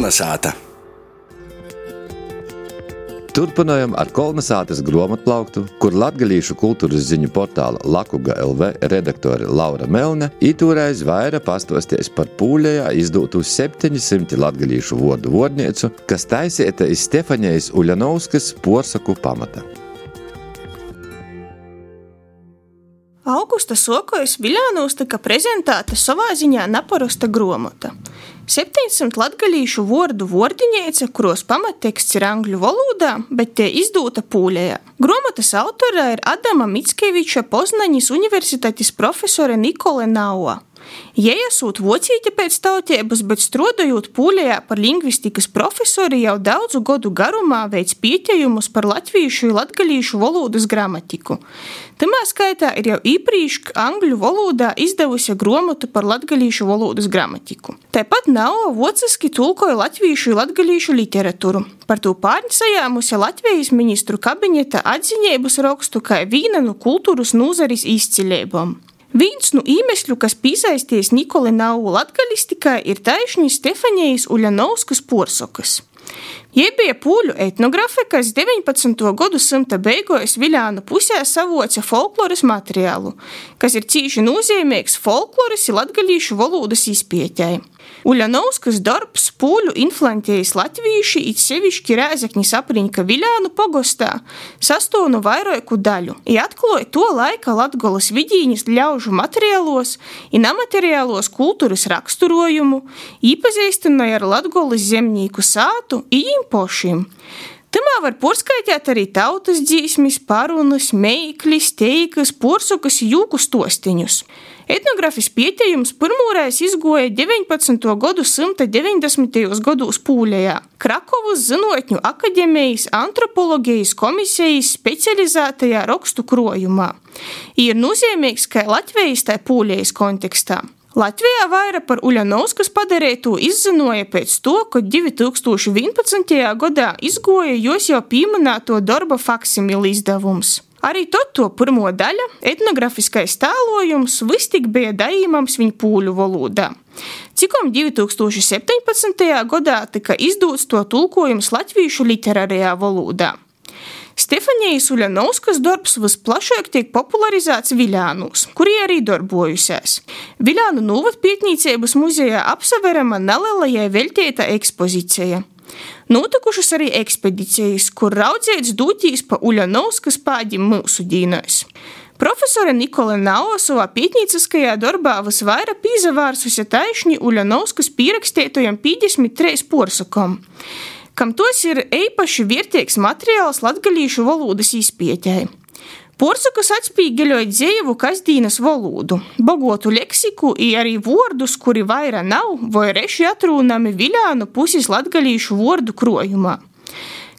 Kolnasāta. Turpinājam ar Kolnasātas grāmatplauktu, kur latgalīšu kultūras ziņu portāla Lakuga LV redaktore Laura Melne itūreiz vaira pastostīs par Pūļejā izdūtu 700 latgalīšu vārdu vārdniecu, kas taisīta iz Stefanijas Uļanovskas porsaku pamata. Augusta sokojs Viļānūs tika prezentēta savā ziņā naparosta grāmata. 700 latgalīšu vārdu vārdiņeica, kuros pamatteksts ir angļu valodā, bet tie izdūta Pūļejā. Grāmatas autorā ir Adama Mickeviča Poznaņas universitātes profesore Nikole Naua. Jei esot vocīte pēc tautiebas, bet strodojot Pūļejā par lingvistikas profesori jau daudzu godu garumā veic pietejumus par latvīšu i latgalīšu valodas gramatiku. Tamā skaitā ir jau īprīšk angļu valodā izdevusi grāmatu par latgalīšu valodas gramatiku. Tāpat Naua vociski tulkoja latvīšu i latgalīšu literatūru. Par to pārņsajāmusi Latvijas ministru kabineta atziņeibus rakstu kā vīna no kultūras nūzaris izcileibom. Viens no īmesļu, kas pīsaisties Nikoli Naua latgalistikai, ir taišņi Stefanijas Uļanovskas porsokas. Jei bija pūļu etnografe, kas 19. gadsimta beigās Viļānu pusē savoca folkloras materiālu, kas ir cīši nozīmīgs folkloras i latgalīšu valodas izpētei. Uļanovskas darbs pūļu influentējas latvīši, it sevišķi Rēzeknis apriņka Viļānu pogostā, sastāv no vairāku daļu i atkloja to laika Latgolas vidīņas ļaužu materiālos i nemateriālos kultūras raksturojumu, īpazīstināja ar Latgolas zemnīku sātu i jim pošim. Tamā var porskaitēt arī tautas dzīsmis, parunas, meiklis, teikas, porsokas i jūku stostiņus. Etnografis pietejums pirmūreiz izgoja 19. gadsimta 90. gados Pūļejā. Krakovas Zinātņu akademijas antropoloģijas komisijas specializētajā rakstu krojumā. Ir nozīmīgs kā Latvijas tā Pūļejas kontekstā. Latvijā vaira par Uļanovskas padarītu izzinoja pēc to, ka 2011. gadā izgoja jos jau pieminēto darba faksimili izdevums. Arī to pirmo daļa, etnografiskais tēlojums, vistik bija dājīmams viņa pūļu valodā. Cikom 2017. gadā tika izdūts to tulkojums latvīšu literārajā valodā. Stefanijas Uļanovskas darbs visplašāk tiek popularizēts Viļānūs, kuri arī darbojusies. Viļānu novadpietnīceibas muzejā apsaverama nelielajai veltīta ekspozīcija. Notikušas arī ekspedīcijas, kur raudzēts dūtīs pa Uļanovskas pādim mūsu dīnais. Profesore Nikole Naua savā pietnīciskajā darbā visvaira pīzavārsusi taišņi Uļanovskas pierakstētojam 53 porsakom, kam tos ir eipaši vērtīgs materiāls latgalīšu valodas izpētei. Porsakas atspīgeļoja dzēju kasdīnas valodu, bogotu leksiku i arī vārdus, kuri vaira nav vai reši atrūnami Viļānu pusis latgalīšu vārdu krojumā.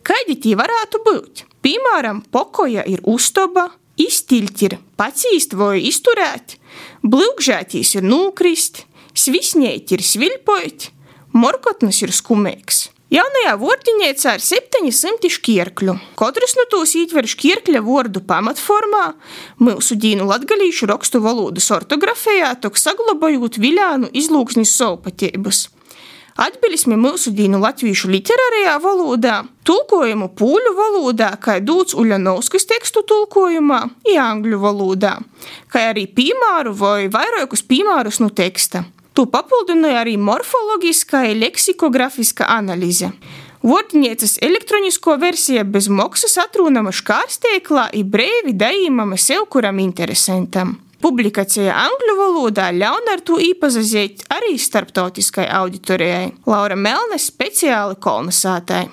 Kaidi tī varētu būt? Piemēram, pokoja ir ustoba, iztiļt ir pacīst vai izturēt, blyugžētīs ir nūkrist, svisņēt ir sviļpojt, morkotnas ir skumeigs. Jaunajā vārdiņeicā ir 700 škierkļu. Katrs no tūs ietver škierkļa vārdu pamatformā, mūsu dīnu latgalīšu rakstu valodas ortografijā, tok saglabājot Viļānu izlūksnis savpateibas. Atbilismi mūsu dīnu latvīšu literārajā valodā, tulkojumu pūļu valodā, kā dūts Uļanovskas tekstu tulkojumā, i angļu valodā, kā arī piemēru vai vairākus piemērus no teksta. Tu papildināja arī morfologiskā i leksikografiskā analīze. Vārdiņeicas elektronisko versija bez maksas atrūnama škārsteiklā i breivi dājīmama sev, kuram interesantam. Publikacija angļu valodā ļaun ar to īpazazēt arī starptautiskai auditorijai. Laura Melne speciāli Kolnasātai.